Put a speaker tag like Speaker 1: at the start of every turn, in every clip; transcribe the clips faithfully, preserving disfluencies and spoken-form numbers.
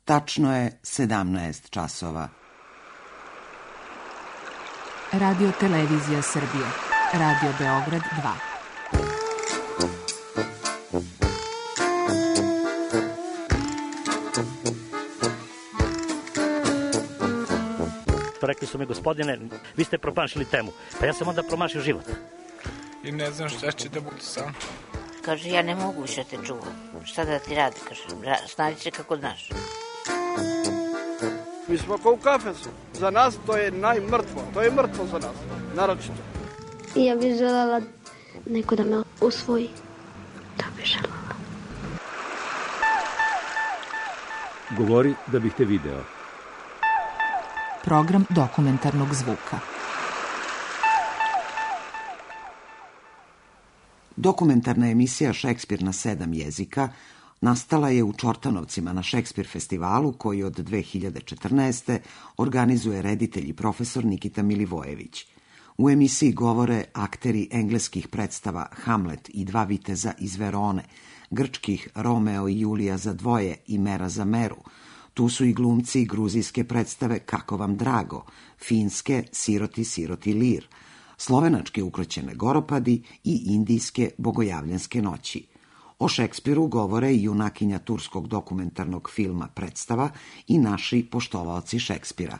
Speaker 1: Tačno je sedamnaest časova.
Speaker 2: Radio Televizija Srbije. Radio Beograd dva.
Speaker 3: Rekli su mi, gospodine, vi ste promašili temu. Pa ja sam onda promašio život.
Speaker 4: I ne znam šta će da bude sam.
Speaker 5: Kaže, ja ne mogu više te čuvam. Šta da ti radi? Kaže, snađi se kako znaš.
Speaker 6: Mi smo kao u kafesu. Za nas to je najmrtvo. To je mrtvo za nas. Naročito.
Speaker 7: Ja bih želela neko da me usvoji. Da bih želela.
Speaker 8: Govori da bih te video.
Speaker 2: Program dokumentarnog zvuka.
Speaker 1: Dokumentarna emisija Šekspir na sedam jezika nastala je u Čortanovcima na Šekspir festivalu koji od dve hiljade četrnaeste. organizuje reditelj i profesor Nikita Milivojević. U emisiji govore akteri engleskih predstava Hamlet i Dva viteza iz Verone, grčkih Romeo i Julija za dvoje i Mera za meru. Tu su i glumci gruzijske predstave Kako vam drago, finske Siroti, siroti lir, slovenačke Ukroćene goropadi i indijske Bogojavljanske noći. O Šekspiru govore i junakinja turskog dokumentarnog filma Predstava i naši poštovaoci Šekspira.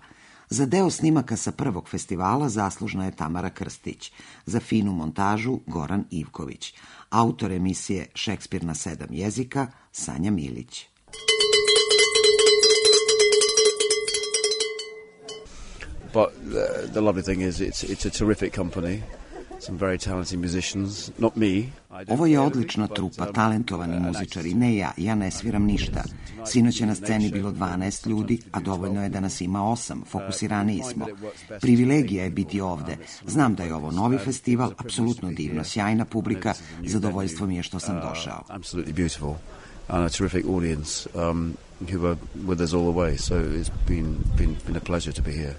Speaker 1: Za deo snimaka sa prvog festivala zaslužna je Tamara Krstić, za finu montažu Goran Ivković, autor emisije Šekspir na sedam jezika Sanja Milić.
Speaker 9: But the, the lovely thing is it's, it's a terrific company. Some very talented musicians, not me.
Speaker 1: Ovo je odlična trupa, talentovani muzičari. Ne ja, ja ne sviram ništa. Sinoć je na sceni bilo dvanaest ljudi, a dovoljno je da nas ima osam. Fokusiraniji smo. Privilegija je biti ovde. Znam da je ovo novi festival, apsolutno divno, sjajna publika. Zadovoljstvo mi je što sam došao.
Speaker 9: Absolutely beautiful. And a terrific audience um, who were with us all the way. So it's been, been, been a pleasure to be here.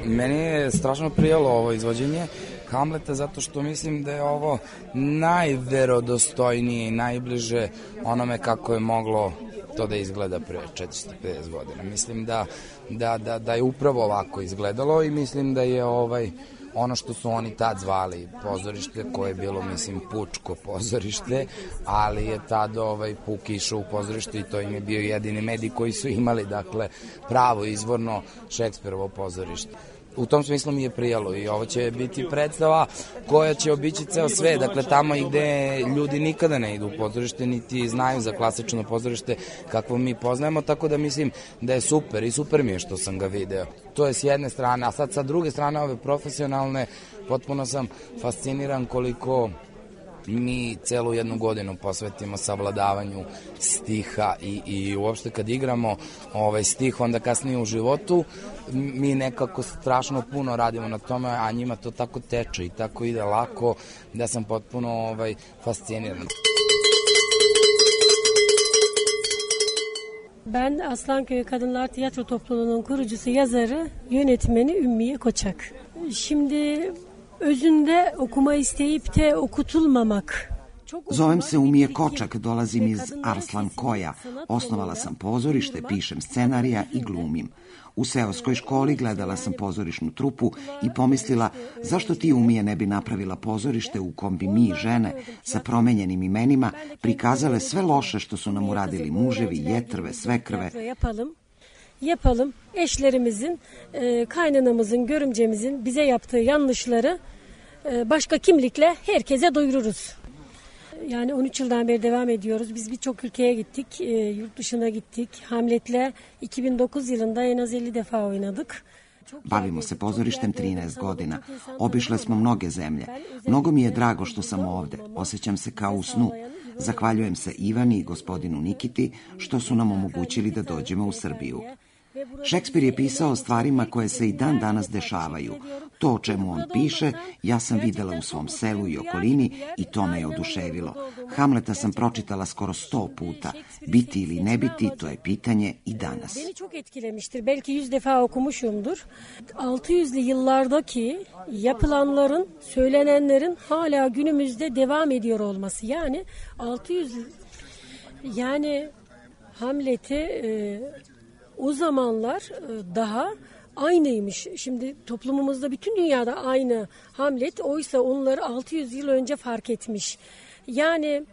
Speaker 10: Meni je strašno prijalo ovo izvođenje Hamleta zato što mislim da je ovo najverodostojnije i najbliže onome kako je moglo to da izgleda pre četiristo pedeset godina. Mislim da, da, da, da je upravo ovako izgledalo i mislim da je ovaj ono što su oni tad zvali pozorište, koje je bilo, mislim, pučko pozorište, ali je tad ovaj, Puk išao u pozorište i to im je bio jedini medij koji su imali, dakle, pravo izvorno Šekspirovo pozorište. U tom smislu mi je prijalo i ovo će biti predstava koja će obići ceo sve, dakle tamo i gde ljudi nikada ne idu u pozorište, niti znaju za klasično pozorište kakvo mi poznajemo, tako da mislim da je super i super mi je što sam ga video. To je s jedne strane, a sad sa druge strane ove profesionalne, potpuno sam fasciniran koliko mi celu jednu godinu posvetimo savladavanju stiha i, i uopšte kad igramo ovaj stih, onda kasnije u životu mi nekako strašno puno radimo na tome, a njima to tako teče i tako ide lako da sam potpuno ovaj, fasciniran.
Speaker 11: Ben Aslanköy Kadınlar Tiyatro Topluluğu'nun kurucusu, yazarı, yönetmeni Ümmiye Koçak. Şimdi özünde okuma isteyip de okutulmamak
Speaker 1: Zovem se Umije Kočak, dolazim iz Arslan Koja. Osnovala sam pozorište, pišem scenarija i glumim. U seoskoj školi gledala sam pozorišnu trupu i pomislila zašto ti Umije ne bi napravila pozorište u kom bi mi, žene, sa promenjenim imenima prikazale sve loše što su nam uradili muževi, jetrve, svekrve.
Speaker 11: Yapalım, eşlerimizin, kaynanamızın, görümcemizin bize yaptığı yanlışları başka kimlikle herkese duyururuz. Yani on üç yıldan beri devam ediyoruz. Biz birçok ülkeye gittik, yurt dışına gittik. Hamlet'le iki bin dokuz yılında en az elli defa oynadık.
Speaker 1: Bavimo se pozorištem trinaest godina. Obišle smo mnoge zemlje. Mnogo mi je drago što sam ovde. Osjećam se kao u snu. Zahvaljujem se Ivani i gospodinu Nikiti što su nam omogućili da dođemo u Srbiju. Šekspir je pisao o stvarima koje se i dan danas dešavaju. To o čemu on piše, ja sam videla u svom selu i okolini i to me je oduševilo. Hamleta sam pročitala skoro sto puta. Biti ili ne biti, to je pitanje i danas.
Speaker 11: Beni çok etkilemiştir. Belki yüz defa okumuşumdur. altı yüzlü yıllardaki yapılanların, söylenenlerin hala günümüzde devam ediyor olması. Yani altı yüz, yani Hamlet'i e, o zamanlar daha aynıymış. Şimdi toplumumuzda bütün dünyada aynı Hamlet. Oysa onları altı yüz yıl önce fark etmiş. Yani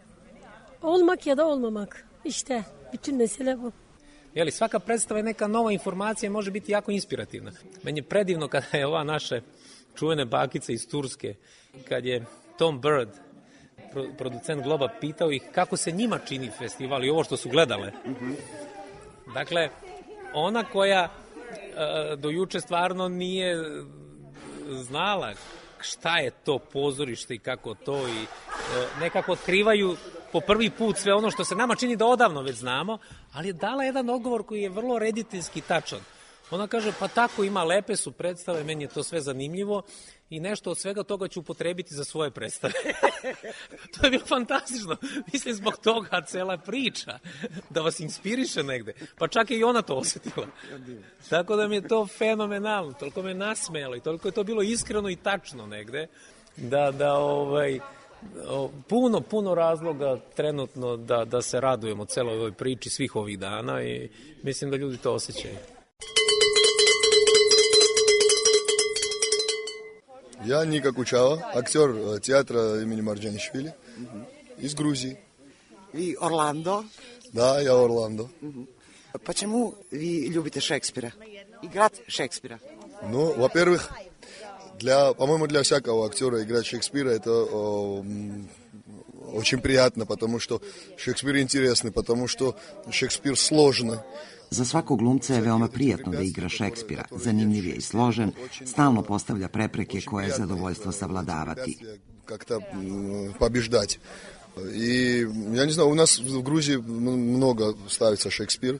Speaker 11: olmak ya da olmamak. İşte bütün mesele bu.
Speaker 12: Jeli, svaka predstava je neka nova informacija, može biti jako inspirativna. Meni je predivno kada je ova naša čuvene bakica iz Turske, kad je Tom Bird, producent Globa, pitao ih kako se njima čini festival i ovo što su gledale. Dakle, ona koja uh, do juče stvarno nije znala šta je to pozorište i kako to i uh, nekako otkrivaju po prvi put sve ono što se nama čini da odavno već znamo, ali je dala jedan odgovor koji je vrlo rediteljski tačan. Ona kaže, pa tako ima, lepe su predstave, meni je to sve zanimljivo i nešto od svega toga ću upotrebiti za svoje predstave. To je bilo fantastično. Mislim, zbog toga cela priča, da vas inspiriše negde. Pa čak je i ona to osetila. Tako da mi je to fenomenalno, toliko me nasmejalo i toliko je to bilo iskreno i tačno negde, da, da ovaj, puno, puno razloga trenutno da, da se radujemo celoj ovoj priči svih ovih dana i mislim da ljudi to osjećaju.
Speaker 13: Я Ника Кучава, актер театра имени Марджанишвили из Грузии.
Speaker 1: Vi Orlando?
Speaker 13: Да, я Орландо.
Speaker 1: Почему вы любите Шекспира? Играть Шекспира?
Speaker 13: Ну, во-первых, для, по-моему, для всякого актера играть Шекспира это о, очень приятно, потому что Шекспир интересный, потому что Шекспир сложный.
Speaker 1: Za svakog glumca je veoma prijatno da igra Šekspira. Zanimljiv je i složen, stalno postavlja prepreke koje je zadovoljstvo savladavati.
Speaker 13: Как-то побеждать. И, я не знаю, у нас в Грузии много ставится Шекспир.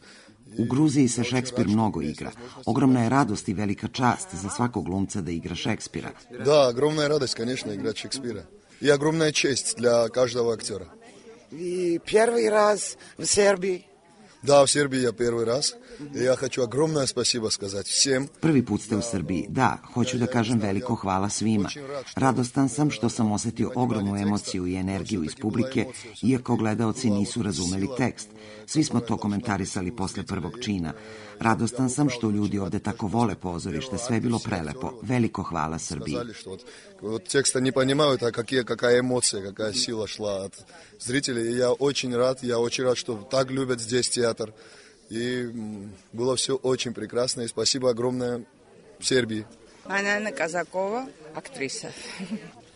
Speaker 1: U Gruziji se Šekspir mnogo igra. Ogromna je radost i velika čast za svakog glumca da igra Šekspira.
Speaker 13: Да, огромная радость, конечно, играть Шекспира. И огромная честь для каждого актера.
Speaker 1: И первый раз в Сербии?
Speaker 13: Да, в Сербии я первый раз. И я хочу огромное спасибо сказать всем.
Speaker 1: Prvi put ste u Srbiji. Da, hoću da kažem veliko hvala svima. Radostan sam što sam osetio ogromnu emociju i energiju iz publike, iako gledaoci nisu razumeli tekst. Svi smo to komentarisali posle prvog čina. Radostan sam što ljudi ovde tako vole pozorište. Sve je bilo prelepo. Veliko hvala Srbiji.
Speaker 13: Вот текста не понимают, а какие, какая эмоция, какая сила шла от зрителей. И я очень рад, я очень рад, что так любят здесь театр. И было все очень прекрасно. И спасибо огромное Сербии.
Speaker 14: Анна Казакова, актриса.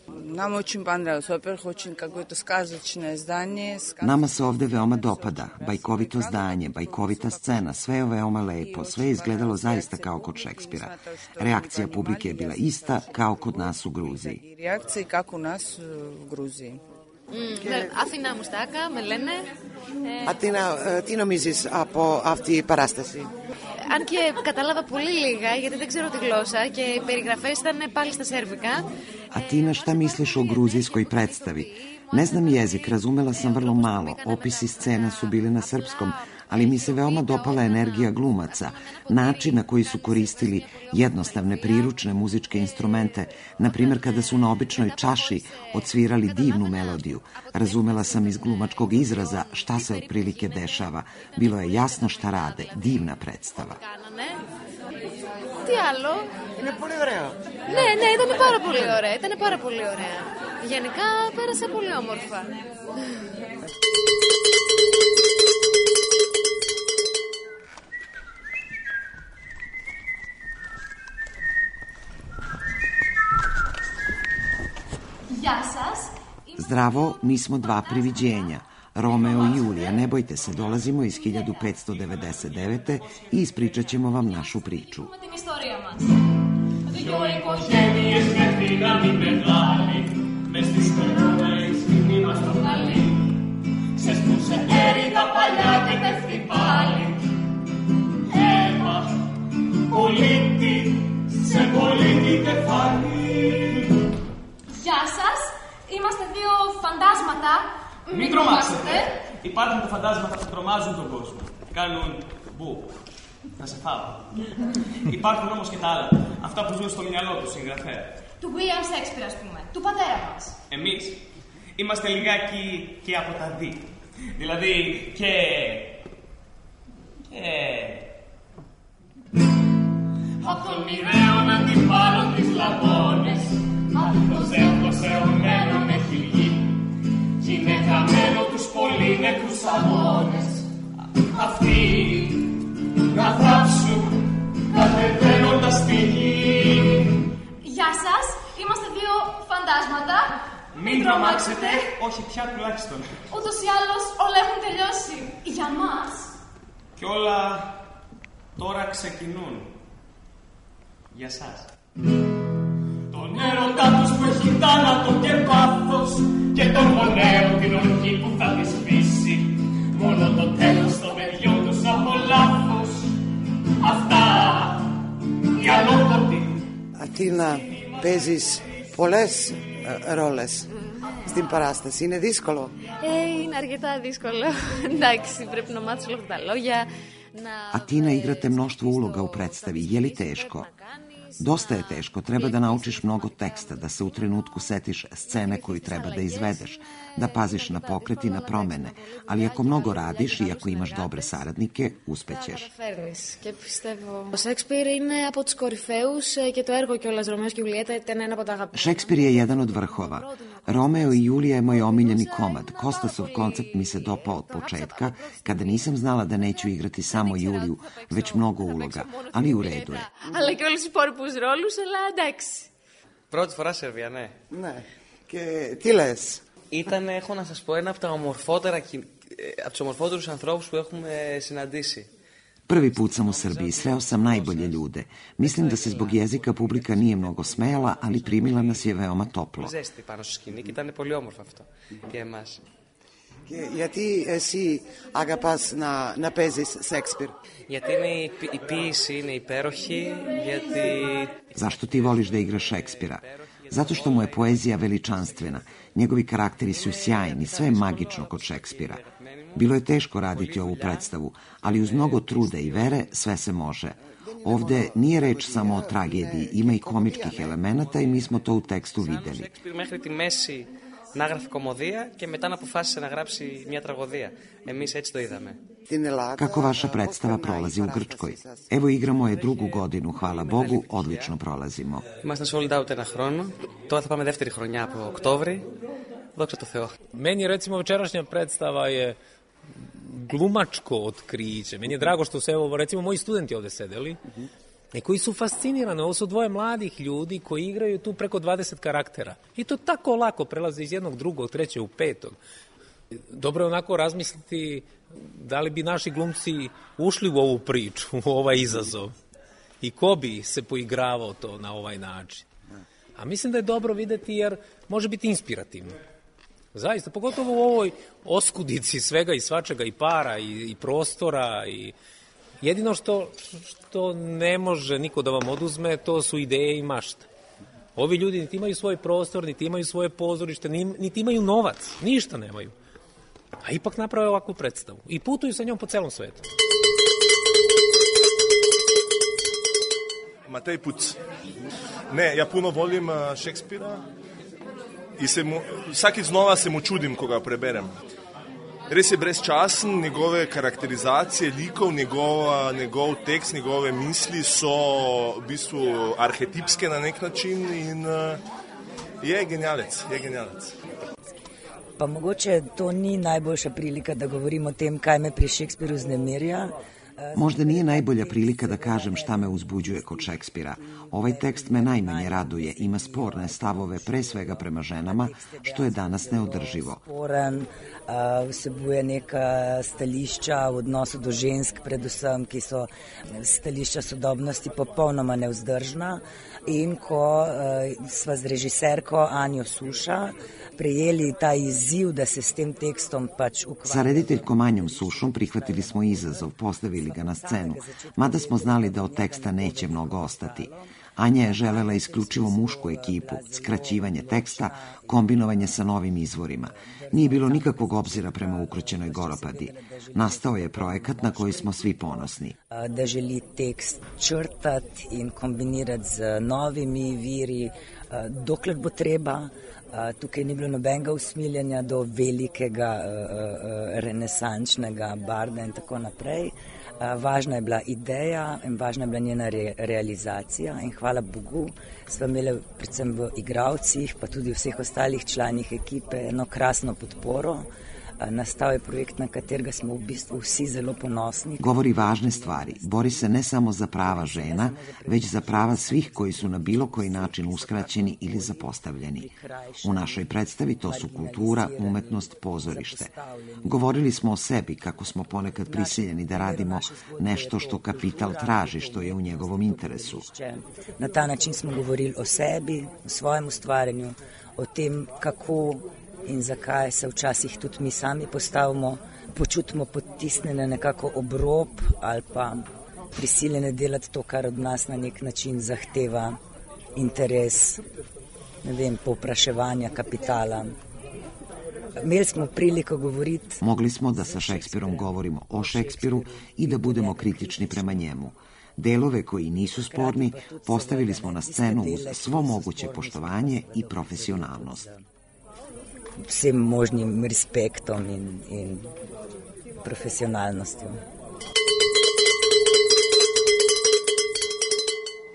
Speaker 14: Нам очень понравилось. Во-первых, очень какое-то сказочное здание.
Speaker 1: Nama se ovde veoma dopada. Bajkovito zdanje, bajkovita scena, sve je veoma lepo. Sve je izgledalo zaista kao kod Šekspira. Reakcija publike je bila ista kao kod nas u Gruziji.
Speaker 14: Reakcije kako u nas u Gruziji.
Speaker 15: Αθηνά Μουστάκα, με λένε.
Speaker 1: Αθηνά, τι νομίζεις από αυτή η παράσταση?
Speaker 15: Αν και κατάλαβα πολύ λίγα, γιατί δεν ξέρω τη γλώσσα και οι περιγραφές ήταν πάλι στα σέρβικα.
Speaker 1: Atina, šta misliš o gruzijskoj predstavi? Ne znam jezik, razumela sam vrlo malo. Opisi scena su bili na srpskom, ali mi se veoma dopala energija glumaca, način na koji su koristili jednostavne priručne muzičke instrumente, na primjer kada su na običnoj čaši odsvirali divnu melodiju. Razumela sam iz glumačkog izraza šta se otprilike dešava. Bilo je jasno šta rade, divna predstava.
Speaker 15: Τι άλλο.
Speaker 16: Είναι πολύ ωραίο.
Speaker 15: Ναι, ναι, ήταν πάρα πολύ ωραία. Ήταν πάρα πολύ ωραία. Γενικά πέρασα πολύ όμορφα. Γεια σας.
Speaker 1: Zdravo, mi smo dva priviđenja. Romeo i Julija, ne bojte se, dolazimo iz hiljadu petsto devedeset devete i ispričat ćemo vam našu priču.
Speaker 15: Την ιστορία μας.
Speaker 17: Δυο οικογένειες με δύναμη μεγάλη, μες στις περνούμενες μην είμαστε καλοί. Ξεσπούσε έρηδα παλιά και πέφτει πάλι. Αίμα, πολίτη, σε πολίτη κεφάλι.
Speaker 15: Γεια σας, είμαστε δύο φαντάσματα.
Speaker 17: Μην τρομάξετε. Υπάρχουν τα φαντάσματα που τρομάζουν τον κόσμο. Κάνουν μπου. Θα σε φάω. Υπάρχουν όμως και τα άλλα. Αυτά που ζουν στο μυαλό του συγγραφέα.
Speaker 15: Του William Shakespeare, ας πούμε. Του πατέρα μας.
Speaker 17: Εμείς είμαστε λιγάκι και από τα δι. Δηλαδή και... και... Απ' των μοιραίων αντιπάλων τις λαγώνες. Απ' το ζεύγος αιωμένο με χιλιοί. Κι είναι χαμένο τους πολύ νεκρούς αγώνες. Αυτοί να θάψουν κατεβαίνοντας τη γη.
Speaker 15: Γεια σας, είμαστε δύο φαντάσματα.
Speaker 17: Μην τρομάξετε, όχι πια τουλάχιστον.
Speaker 15: Ούτως ή άλλως όλα έχουν τελειώσει. Για μας.
Speaker 17: Κι όλα τώρα ξεκινούν. Για σας. Τον έρωτα τους που έχει θάνατο και πάθος και τον γονέο την ορκή που θα τη σβήσει. Μόνο το τέλος των παιδιών τους από λάθος. Αυτά οι αλόκοτοι.
Speaker 16: Αθήνα, παίζεις πολλές ρόλες στην παράσταση. Είναι δύσκολο.
Speaker 15: Ε, είναι αρκετά δύσκολο. Εντάξει, πρέπει να μάθεις όλα αυτά τα λόγια.
Speaker 1: Atina, igrate mnoštvo uloga u predstavi. Je li teško? Dosta je teško. Treba da naučiš mnogo teksta, da se u trenutku setiš scene koju treba da izvedeš, da paziš na pokret i na promene. Ali ako mnogo radiš i ako imaš dobre saradnike, uspećeš.
Speaker 15: Και πιστεύω. Ο Σέξπιρ είναι από τους κορυφαίους και το έργο κιόλας Ρωμαίος και Ιουλιέτα ήταν ένα από τα αγαπημένα.
Speaker 1: Šekspir je jedan od vrhova. Romeo i Julija je moj omiljeni komad. Kostasov koncept mi se dopao od početka, kada nisam znala da neću igrati samo Juliju, već mnogo uloga, ali u redu je.
Speaker 15: Αλλά και όλους τους υπόλοιπους ρόλους, αλλά εντάξει.
Speaker 18: Πρώτη φορά Σερβία, ναι.
Speaker 16: Ναι. Και τι λες?
Speaker 18: Ήταν, έχω να σας πω, ένα από τα ομορφότερα, από τους ομορφότερους ανθρώπους που έχουμε συναντήσει.
Speaker 1: Prvi put sam u Srbiji, sreo sam najbolje ljude. Mislim da se zbog jezika publika nije mnogo smejala, ali primila nas je veoma toplo.
Speaker 18: Ζέστη πάνω στο σκηνή και ήταν πολύ όμορφο αυτό για εμάς.
Speaker 16: Και γιατί εσύ αγαπάς να, να παίζεις Σέξπιρ?
Speaker 18: Γιατί είναι η, η ποίηση είναι υπέροχη, γιατί...
Speaker 1: Zašto ti voliš da igraš Šekspira? Zato što mu je poezija veličanstvena. Njegovi karakteri su sjajni, sve je magično kod Šekspira. Bilo je teško raditi ovu predstavu, ali uz mnogo truda i vere sve se može. Ovde nije reč samo o tragediji, ima i komičkih elemenata i mi smo to u tekstu videli.
Speaker 18: Šekspir μέχρι τη μέση να γράφει κομμωδία και μετά να αποφάσισε να γράψει μια τραγωδία. Εμείς έτσι το είδαμε.
Speaker 1: Kako vaša predstava prolazi u Grčkoj? Evo igramo je drugu godinu, hvala Bogu, odlično prolazimo.
Speaker 18: Είμαστε sold out ένα χρόνο. Τώρα θα πάμε δεύτερη χρονιά από Οκτώβρη. Δόξα τω Θεώ.
Speaker 12: Meni recimo večerašnja predstava je glumačko otkriće. Meni je drago što se, evo, recimo, moji studenti ovde sedeli i koji su fascinirani. Ovo su dvoje mladih ljudi koji igraju tu preko dvadeset karaktera. I to tako lako prelaze iz jednog, drugog, trećeg u petog. Dobro je onako razmisliti da li bi naši glumci ušli u ovu priču, u ovaj izazov. I ko bi se poigravao to na ovaj način. A mislim da je dobro videti jer može biti inspirativno. Zaista, pogotovo u ovoj oskudici svega i svačega i para i, i prostora i jedino što, što ne može niko da vam oduzme, to su ideje i mašta. Ovi ljudi niti imaju svoj prostor, niti imaju svoje pozorište, niti imaju novac, ništa nemaju. a ipak naprave ovakvu predstavu i putuju sa njom po celom svetu.
Speaker 19: Matej Puc. Ne, ja puno volim Šekspira i se mu, vsakič znova se mu čudim, ko ga preberem. Res je brezčasen, njegove karakterizacije likov, njegova, njegov tekst, njegove misli so v bistvu arhetipske na nek način in uh, je genialec, je genialec.
Speaker 20: Pa mogoče to ni najboljša prilika da govorim o tem, kaj me pri Šekspiru vznemirja.
Speaker 1: Možda nije najbolja prilika da kažem šta me uzbuđuje kod Šekspira. Ovaj tekst me najmanje raduje, ima sporne stavove pre svega prema ženama, što je danas neodrživo.
Speaker 20: Sporen, vsebuje neka stališča v odnosu do žensk, predvsem, ki so stališča sodobnosti popolnoma nevzdržna. In ko sva z režiserko Anjo Suša prejeli ta izziv da se s tem tekstom pač ukvarjamo.
Speaker 1: Sa rediteljkom Anjom Sušom prihvatili smo izazov, postavili ga na scenu, mada smo znali da od teksta neće mnogo ostati. Anja je želela isključivo mušku ekipu, skraćivanje teksta, kombinovanje sa novim izvorima. Nije bilo nikakvog obzira prema ukroćenoj Goropadi. Nastao je projekat na koji smo svi ponosni.
Speaker 20: Da želi tekst črtati in kombinirati z novimi viri, dokler bo treba. Tukaj ni bilo nobenega usmiljanja do velikega renesančnega barda in tako naprej. Važna je bila ideja in važna je bila njena re, realizacija in hvala Bogu smo imeli predvsem v igralcih pa tudi vseh ostalih članih ekipe eno krasno podporo. Nastal je projekt na katerega smo v bistvu vsi zelo ponosni.
Speaker 1: Govori važne stvari. Bori se ne samo za prava žena, već za prava svih koji su na bilo koji način uskraćeni ili zapostavljeni. U našoj predstavi to su kultura, umetnost, pozorište. Govorili smo o sebi kako smo ponekad prisiljeni da radimo nešto što kapital traži, što je u njegovom interesu.
Speaker 20: Na ta način smo govorili o sebi, o svojem ustvarjanju, o tem kako in zakaj se včasih tudi mi sami postavimo, počutimo potisnjene nekako ob rob ali pa prisiljene delati to, kar od nas na nek način zahteva interes, ne vem, povpraševanja kapitala. Imeli smo priliko govoriti.
Speaker 1: Mogli smo da sa Šekspirom govorimo o Šekspiru i da budemo kritični prema njemu. Delove koji nisu sporni postavili smo na scenu uz svo moguće poštovanje i profesionalnost.
Speaker 20: Vsem možnim respektom in, in profesionalnostjo.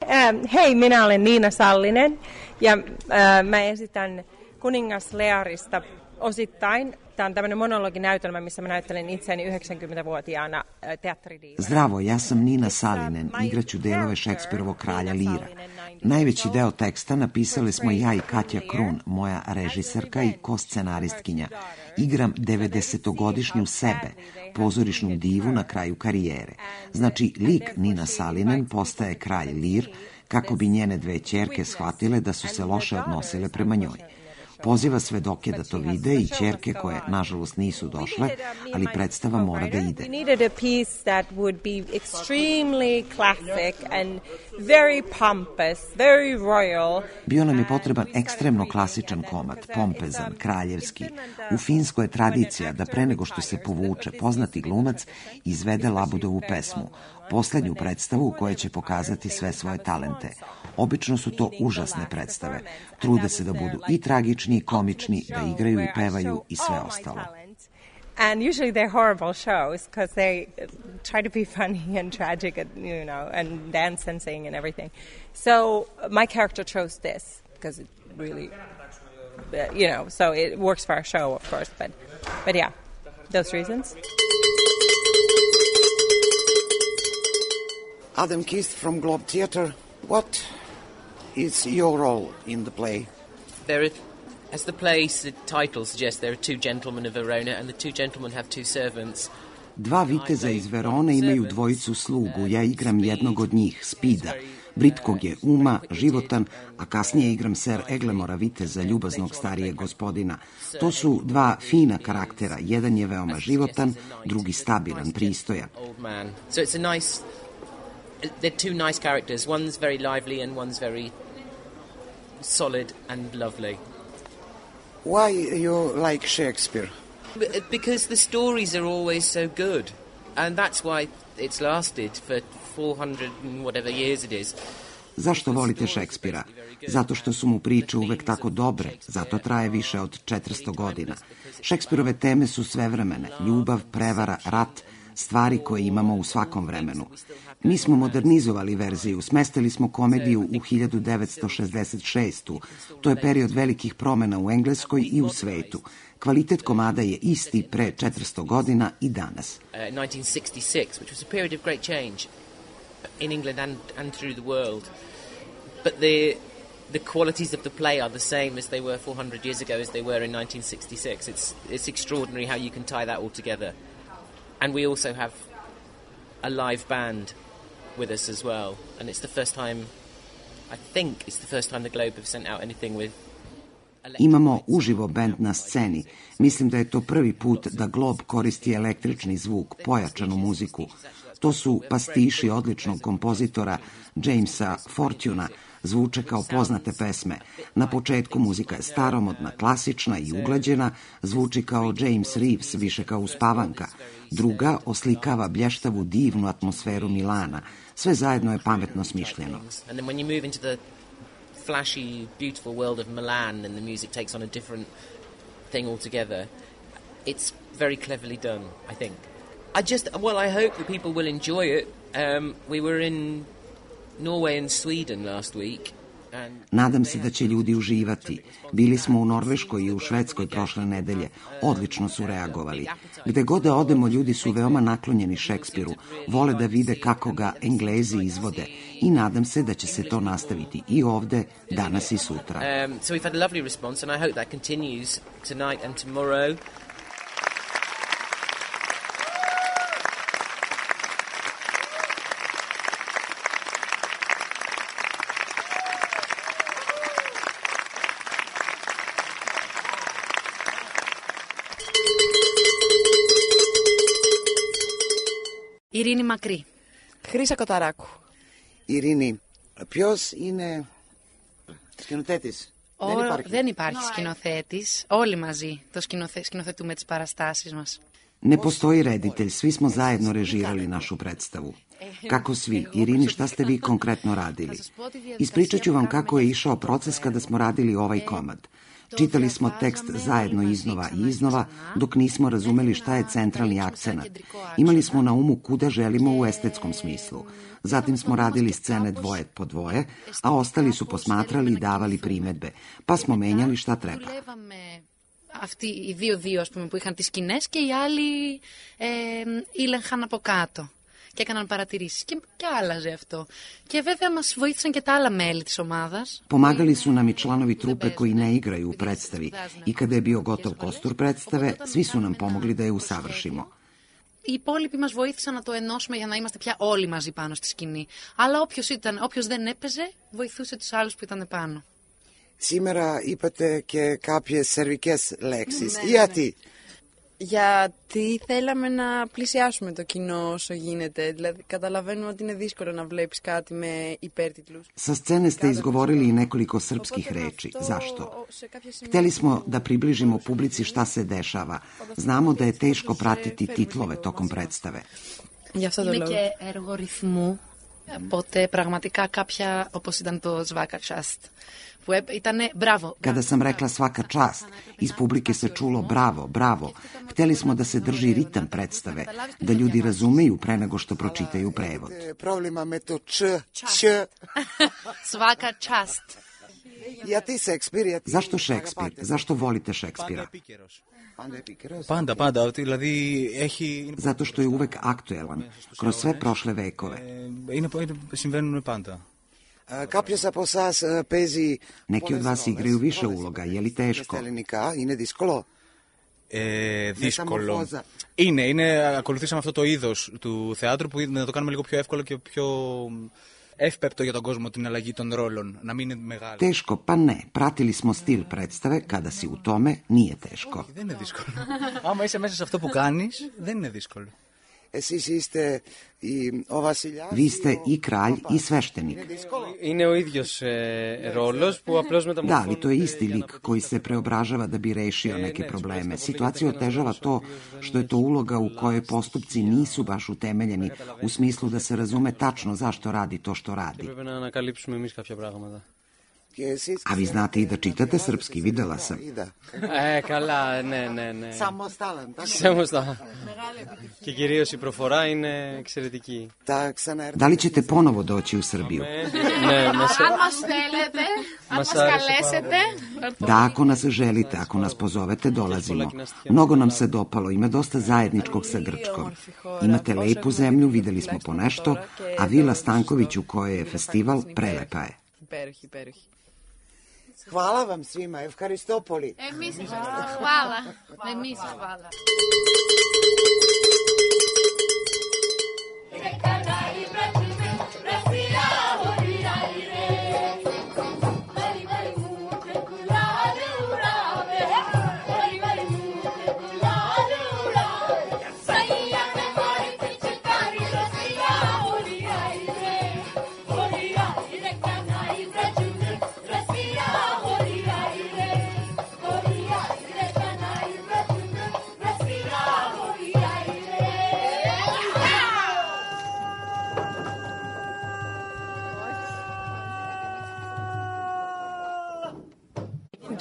Speaker 21: Ähm, hei, minä olen Niina Sallinen ja äh, mä esitän Kuningas Learista osittain. Tämä on tämmöinen monologinäytelmä, missä mä näyttelen itseäni yhdeksänkymmentävuotiaana teatteridiivana.
Speaker 1: Zdravo, ja sam Nina Salinen, igraću delove Šekspirovog Kralja Lira. Najveći deo teksta napisali smo ja i Katja Krun, moja režiserka i ko-scenaristkinja. Igram devedesetogodišnju sebe, pozorišnu divu na kraju karijere. Znači, lik Nina Salinen postaje kralj Lir kako bi njene dve ćerke shvatile da su se loše odnosile prema njoj. Poziva svedoke da to vide i ćerke koje, nažalost, nisu došle, ali predstava mora da ide. Bio nam je potreban ekstremno klasičan komad, pompezan, kraljevski. U Finskoj je tradicija da pre nego što se povuče poznati glumac izvede Labudovu pesmu, poslednju predstavu u kojoj će pokazati sve svoje talente. Obično su to užasne predstave. Trude se da budu i tragični, i komični, da igraju i pevaju i sve ostalo.
Speaker 21: And usually they're horrible shows because they try to be funny and tragic, and, you know, and dance and sing and everything. So my character chose this because it really, you know, so it works for our show, of course. But, but yeah, those reasons.
Speaker 16: Adam Kist from Globe Theatre. What is your role in the play?
Speaker 22: There are, as the play's title suggests, there are two gentlemen of Verona, and the two gentlemen have two servants.
Speaker 1: Dva viteza iz Verone imaju dvojicu slugu. Ja igram jednog od njih, Spida. Britkog je uma, životan, a kasnije igram Ser Eglemora viteza, ljubaznog starijeg gospodina. To su dva fina karaktera. Jedan je veoma životan, drugi stabilan, pristojan.
Speaker 22: So it's a nice... They're two nice characters. One's very lively and one's very solid and lovely.
Speaker 16: Why you like Shakespeare?
Speaker 22: Because the stories are always so good, and that's why it's lasted for four hundred and whatever years it is.
Speaker 1: Zašto volite Šekspira? Zato što su mu priče uvek tako dobre, zato traje više od četiristo godina. Šekspirove teme su svevremene, ljubav, prevara, rat, stvari koje imamo u svakom vremenu. Mi smo modernizovali verziju, smestili smo komediju u hiljadu devetsto šezdeset šestu. To je period velikih promena u Engleskoj i u svetu. Kvalitet komada je isti pre četiristo godina i danas.
Speaker 22: Uh, nineteen sixty-six, which was a period of great change in England and, and through the world. But the the qualities of the play are the same as they were four hundred years ago as they were in nineteen sixty-six. It's it's extraordinary how you can tie that all together. And we also have a live band with us as well. And it's the first time, I think it's the first time the Globe have sent out anything with.
Speaker 1: Imamo uživo bend na sceni. Mislim da je to prvi put da Glob koristi električni zvuk, pojačanu muziku. To su pastiši odličnog kompozitora Jamesa Fortuna, zvuče kao poznate pesme. Na početku muzika je staromodna, klasična i uglađena, zvuči kao James Reeves, više kao uspavanka. Druga oslikava blještavu, divnu atmosferu Milana. Sve zajedno je pametno smišljeno.
Speaker 22: Flashy, beautiful world of Milan, and the music takes on a different thing altogether. It's very cleverly done, I think. I just, well, I hope that people will enjoy it. Um, we were in Norway and Sweden last week.
Speaker 1: Nadam se da će ljudi uživati. Bili smo u Norveškoj i u Švedskoj prošle nedelje. Odlično su reagovali. Gde god da odemo, ljudi su veoma naklonjeni Šekspiru. Vole da vide kako ga Englezi izvode. I nadam se da će se to nastaviti i ovde, danas i sutra.
Speaker 22: Um, so we've had a lovely response and I hope that continues tonight and tomorrow.
Speaker 15: Ειρήνη Μακρύ.
Speaker 3: Χρύσα Κοταράκου.
Speaker 16: Ειρήνη, ποιος είναι σκηνοθέτης?
Speaker 15: Ο... Δεν υπάρχει, δεν υπάρχει σκηνοθέτης. Όλοι μαζί το σκηνοθε... σκηνοθετούμε τις παραστάσεις μας.
Speaker 1: Ne postoji reditelj, svi smo zajedno režirali našu predstavu. Kako svi? Irini, šta ste vi konkretno radili? Ispričat ću vam kako je išao proces kada smo radili ovaj komad. Čitali smo tekst zajedno iznova i iznova, dok nismo razumeli šta je centralni akcenat. Imali smo na umu kuda želimo u estetskom smislu. Zatim smo radili scene dvoje po dvoje, a ostali su posmatrali i davali primedbe, pa smo menjali šta treba.
Speaker 15: Αυτοί οι δύο-δύο, ας πούμε, που είχαν τις σκηνές και οι άλλοι ε, ήλεγχαν από κάτω και έκαναν παρατηρήσεις και, και άλλαζε αυτό. Και βέβαια μας βοήθησαν και τα άλλα μέλη της ομάδας.
Speaker 1: Pomagali su nam i članovi trupe koji ne igraju u predstavi i kada je bio gotov kostur predstave, svi su nam pomogli da je usavršimo.
Speaker 15: Οι υπόλοιποι μας βοήθησαν να το ενώσουμε για να είμαστε πια όλοι μαζί πάνω στη σκηνή. Αλλά όποιος, ήταν, όποιος δεν έπαιζε, βοηθούσε τους άλλους που ήταν πάνω.
Speaker 16: Σήμερα είπατε και κάποιες σερβικές λέξεις. Ναι, γιατί?
Speaker 3: Γιατί θέλαμε να πλησιάσουμε το κοινό όσο γίνεται. Δηλαδή, καταλαβαίνουμε ότι είναι δύσκολο να βλέπεις κάτι με υπέρτιτλους.
Speaker 1: Sa scene ste izgovorili i nekoliko srpskih reči. Zašto? Hteli smo da približimo publici šta se dešava. Znamo da je teško pratiti titlove tokom predstave.
Speaker 15: Είναι και έργο ρυθμού. Οπότε πραγματικά κάποια, όπως ήταν το Svaka čast, που ήτανε bravo.
Speaker 1: Kada sam rekla svaka čast, iz publike se čulo bravo, bravo. Hteli smo da se drži ritam predstave, da ljudi razumeju pre nego što pročitaju prevod.
Speaker 16: Problema me to č, č.
Speaker 15: Svaka čast.
Speaker 16: Γιατί Σέξπιρ?
Speaker 1: Zašto Šekspir? Zašto volite Šekspira?
Speaker 4: Πάντα, πάντα. Δηλαδή έχει...
Speaker 1: Zato što je uvek aktuelan, kroz sve prošle vekove.
Speaker 4: Είναι, συμβαίνουν πάντα.
Speaker 16: Κάποιος από εσάς παίζει...
Speaker 1: Neki od vas igraju više uloga, je li teško?
Speaker 16: Ελληνικά, είναι δύσκολο.
Speaker 4: Ε, δύσκολο. Είναι, είναι, ακολουθήσαμε αυτό το είδος του θεάτρου που να το κάνουμε λίγο πιο εύκολο και πιο εύπεπτο για τον κόσμο την αλλαγή των ρόλων, να μην είναι μεγάλο.
Speaker 1: Teško, pa ne. Pratili smo stil predstave, kada si u tome, nije teško.
Speaker 4: Όχι, δεν είναι δύσκολο. Άμα είσαι μέσα σε αυτό που κάνεις, δεν είναι δύσκολο.
Speaker 1: Vi ste i kralj i sveštenik. Da, ali to je isti lik koji se preobražava da bi rešio neke probleme. Situaciju otežava to što je to uloga u kojoj postupci nisu baš utemeljeni u smislu da se razume tačno zašto radi to što radi. A vi znate i da čitate srpski, videla sam.
Speaker 5: E, καλά, ναι, ναι, ναι.
Speaker 16: Samostalan, tako?
Speaker 5: Samostalan. Και κυρίως η προφορά είναι εξαιρετική.
Speaker 1: Da li ćete ponovo doći u Srbiju?
Speaker 5: Ne,
Speaker 15: Αν μας θέλετε, αν μας καλέσετε.
Speaker 1: Da, ako nas želite, ako nas pozovete, dolazimo. Mnogo nam se dopalo, ima dosta zajedničkog sa Grčkom. Imate lepu zemlju, videli smo po nešto, a Vila Stanković u kojoj je festival prelepa je.
Speaker 3: Υπέροχη, υπέροχη.
Speaker 16: Hvala vam svima, Evharistopoli.
Speaker 15: Εμείς χβάλα. Εμείς χβάλα.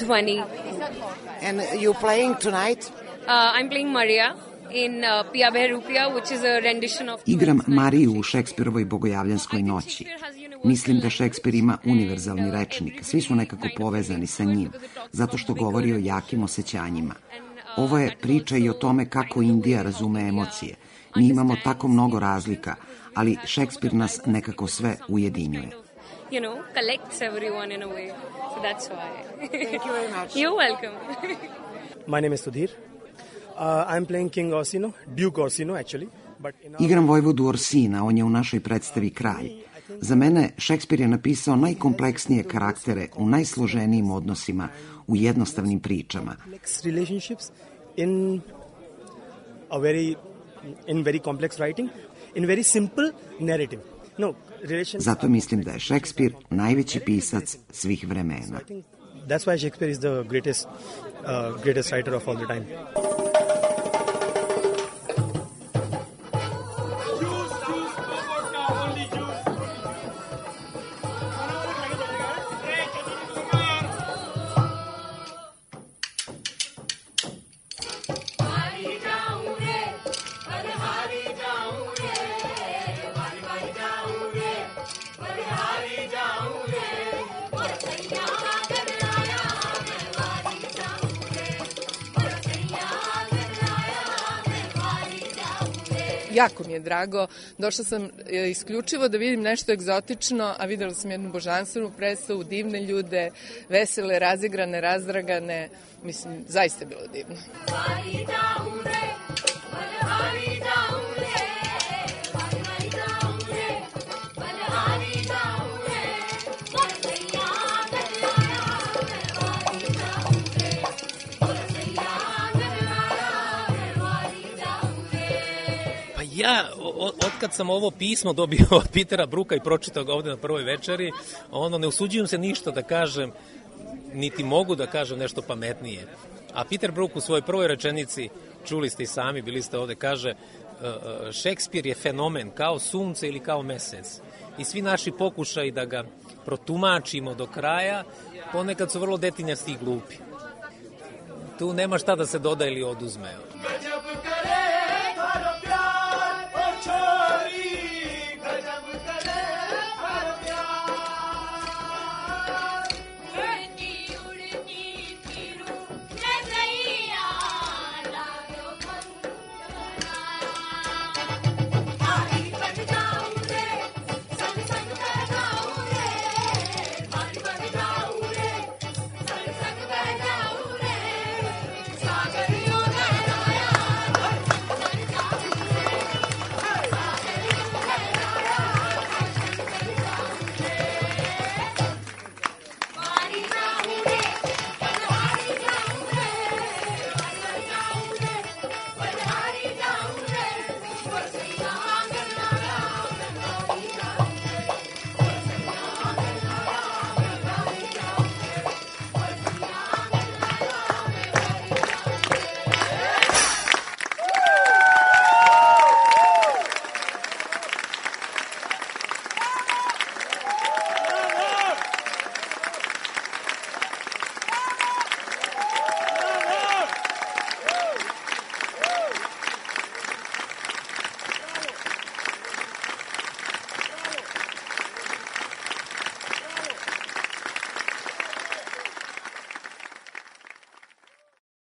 Speaker 6: twenty.
Speaker 16: And you playing tonight?
Speaker 6: Uh, I'm playing Maria in uh, Pia Behrupia, which is a rendition of...
Speaker 1: Igram Mariju u Šekspirovoj Bogojavljanskoj noći. Mislim da Šekspir ima univerzalni rečnik. Svi su nekako povezani sa njim, zato što govori o jakim osjećanjima. Ovo je priča i o tome kako Indija razume emocije. Mi imamo tako mnogo razlika, ali Šekspir nas nekako sve ujedinjuje.
Speaker 6: You know, collects everyone in a way. So that's why.
Speaker 16: Thank you very much.
Speaker 6: You're welcome.
Speaker 23: My name is Sudhir. Uh, I'm playing King Orsino, Duke Orsino actually. But in our...
Speaker 1: Igram vojvodu Orsina, on je u našoj predstavi kralj. Za mene Šekspir je napisao najkompleksnije karaktere u najsloženijim odnosima, u jednostavnim pričama.
Speaker 23: Relationships in a very in very complex writing, in very simple narrative. No,
Speaker 1: Zato mislim da je Šekspir najveći pisac svih vremena.
Speaker 23: That's why Shakespeare is the greatest uh, greatest writer of all the time.
Speaker 3: Jako mi je drago. Došla sam isključivo da vidim nešto egzotično, a videla sam jednu božanstvenu predstavu, divne ljude, vesele, razigrane, razdragane. Mislim, zaista je bilo divno.
Speaker 12: Ja, otkad sam ovo pismo dobio od Petera Bruka i pročitao ga ovde na prvoj večeri, ono, ne usuđujem se ništa da kažem, niti mogu da kažem nešto pametnije. A Peter Brook u svojoj prvoj rečenici, čuli ste i sami, bili ste ovde, kaže Šekspir je fenomen kao sunce ili kao mesec. I svi naši pokušaji da ga protumačimo do kraja, ponekad su vrlo detinjasti i glupi. Tu nema šta da se doda ili oduzme.